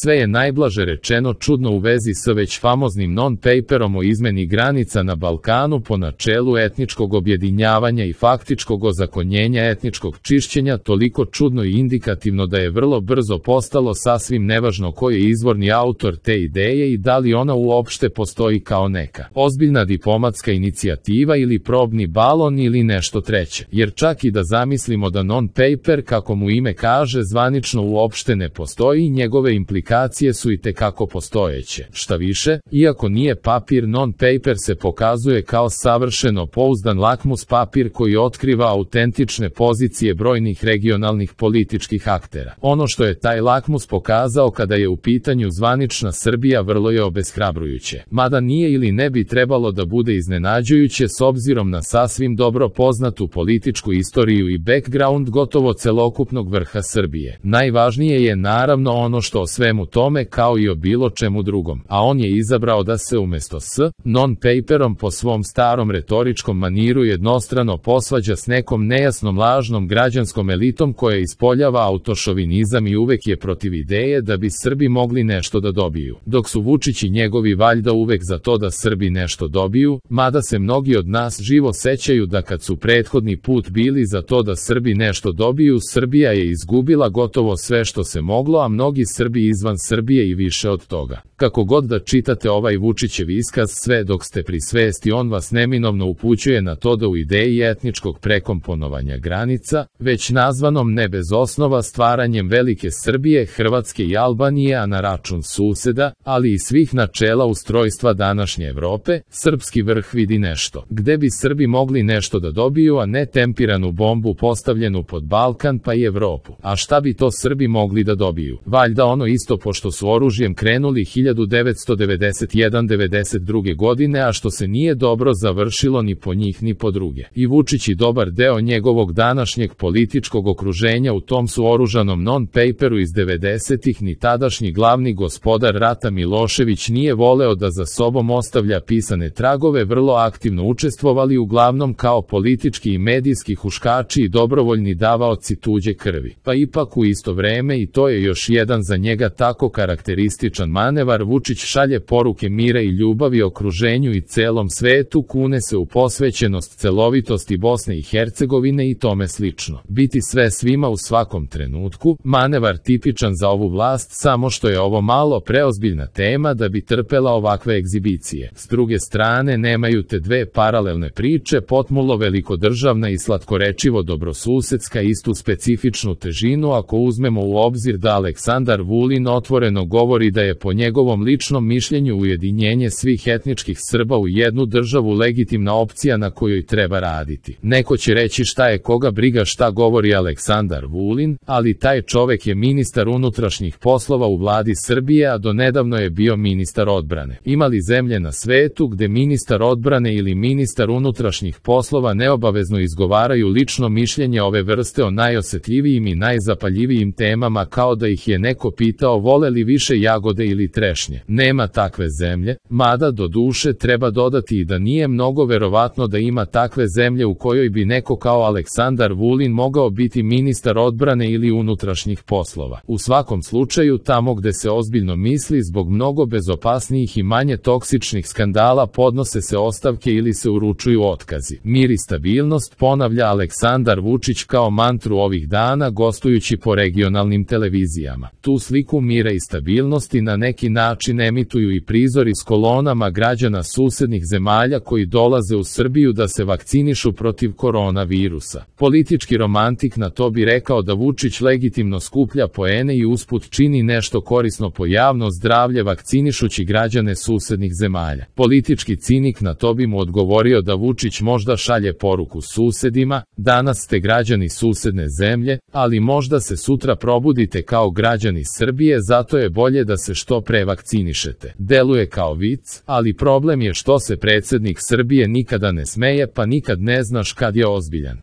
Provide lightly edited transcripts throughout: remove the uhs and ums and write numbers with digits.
Sve je najblaže rečeno čudno u vezi s već famoznim non-paperom o izmeni granica na Balkanu po načelu etničkog objedinjavanja i faktičkog ozakonjenja etničkog čišćenja, toliko čudno i indikativno da je vrlo brzo postalo sasvim nevažno ko je izvorni autor te ideje i da li ona uopšte postoji kao neka ozbiljna diplomatska inicijativa ili probni balon ili nešto treće. Jer čak i da zamislimo da non-paper, kako mu ime kaže, zvanično uopšte ne postoji, njegove implikacije su i tekako postojeće. Šta više, iako nije papir, non-paper se pokazuje kao savršeno pouzdan lakmus papir koji otkriva autentične pozicije brojnih regionalnih političkih aktera. Ono što je taj lakmus pokazao kada je u pitanju zvanična Srbija vrlo je obeshrabrujuće. Mada nije ili ne bi trebalo da bude iznenađujuće s obzirom na sasvim dobro poznatu političku istoriju i background gotovo celokupnog vrha Srbije. Najvažnije je naravno ono što o svemu tome kao i o bilo čemu drugom, a on je izabrao da se umesto s non-paperom po svom starom retoričkom maniru jednostrano posvađa s nekom nejasnom lažnom građanskom elitom koja ispoljava autošovinizam i uvek je protiv ideje da bi Srbi mogli nešto da dobiju. Dok su Vučić i njegovi valjda uvek za to da Srbi nešto dobiju, mada se mnogi od nas živo sećaju da kad su prethodni put bili za to da Srbi nešto dobiju, Srbija je izgubila gotovo sve što se moglo, a mnogi Srbi izvan Srbije i više od toga. Kako god da čitate ovaj Vučićev iskaz, sve dok ste pri svesti on vas neminovno upućuje na to da u ideji etničkog prekomponovanja granica, već nazvanom ne bez osnova stvaranjem velike Srbije, Hrvatske i Albanije, a na račun suseda, ali i svih načela ustrojstva današnje Evrope, srpski vrh vidi nešto, gde bi Srbi mogli nešto da dobiju, a ne tempiranu bombu postavljenu pod Balkan pa i Evropu. A šta bi to Srbi mogli da dobiju? Valjda ono isto, pošto su oružjem krenuli 1991-92. godine, a što se nije dobro završilo ni po njih ni po druge. I Vučić i dobar deo njegovog današnjeg političkog okruženja u tom su oružanom non-paperu iz 90-ih ni tadašnji glavni gospodar rata Milošević nije voleo da za sobom ostavlja pisane tragove, vrlo aktivno učestvovali uglavnom kao politički i medijski huškači i dobrovoljni davaoci tuđe krvi. Pa ipak u isto vreme, i to je još jedan za njega tako karakterističan manevar, Vučić šalje poruke mira i ljubavi okruženju i celom svetu, kune se u posvećenost celovitosti Bosne i Hercegovine i tome slično. Biti sve svima u svakom trenutku, manevar tipičan za ovu vlast, samo što je ovo malo preozbiljna tema da bi trpela ovakve egzibicije. S druge strane, nemaju te dve paralelne priče, potmulo velikodržavna i slatkorečivo dobrosusedska, istu specifičnu težinu ako uzmemo u obzir da Aleksandar Vulin otvoreno govori da je po njegovom ličnom mišljenju ujedinjenje svih etničkih Srba u jednu državu legitimna opcija na kojoj treba raditi. Neko će reći šta je koga briga šta govori Aleksandar Vulin, ali taj čovek je ministar unutrašnjih poslova u vladi Srbije, a donedavno je bio ministar odbrane. Ima li zemlje na svetu gde ministar odbrane ili ministar unutrašnjih poslova neobavezno izgovaraju lično mišljenje ove vrste o najosetljivijim i najzapaljivijim temama, kao da ih je neko pitao vole li više jagode ili trešnje? Nema takve zemlje, mada do duše treba dodati i da nije mnogo verovatno da ima takve zemlje u kojoj bi neko kao Aleksandar Vulin mogao biti ministar odbrane ili unutrašnjih poslova. U svakom slučaju, tamo gde se ozbiljno misli, zbog mnogo bezopasnijih i manje toksičnih skandala podnose se ostavke ili se uručuju otkazi. Mir i stabilnost, ponavlja Aleksandar Vučić kao mantru ovih dana gostujući po regionalnim televizijama. Tu sliku mira i stabilnosti na neki način emituju i prizori s kolonama građana susednih zemalja koji dolaze u Srbiju da se vakcinišu protiv koronavirusa. Politički romantik na to bi rekao da Vučić legitimno skuplja poene i usput čini nešto korisno po javno zdravlje vakcinišući građane susednih zemalja. Politički cinik na to bi mu odgovorio da Vučić možda šalje poruku susedima, danas ste građani susedne zemlje, ali možda se sutra probudite kao građani Srbije, zato je bolje da se što pre vakcinišete. Deluje kao vic, ali problem je što se predsjednik Srbije nikada ne smeje, pa nikad ne znaš kad je ozbiljan.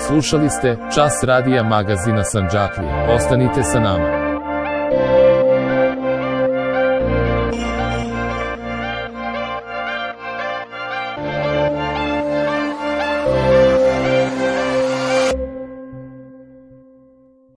Slušali ste Čas radija magazina Sandžaklija. Ostanite sa nama.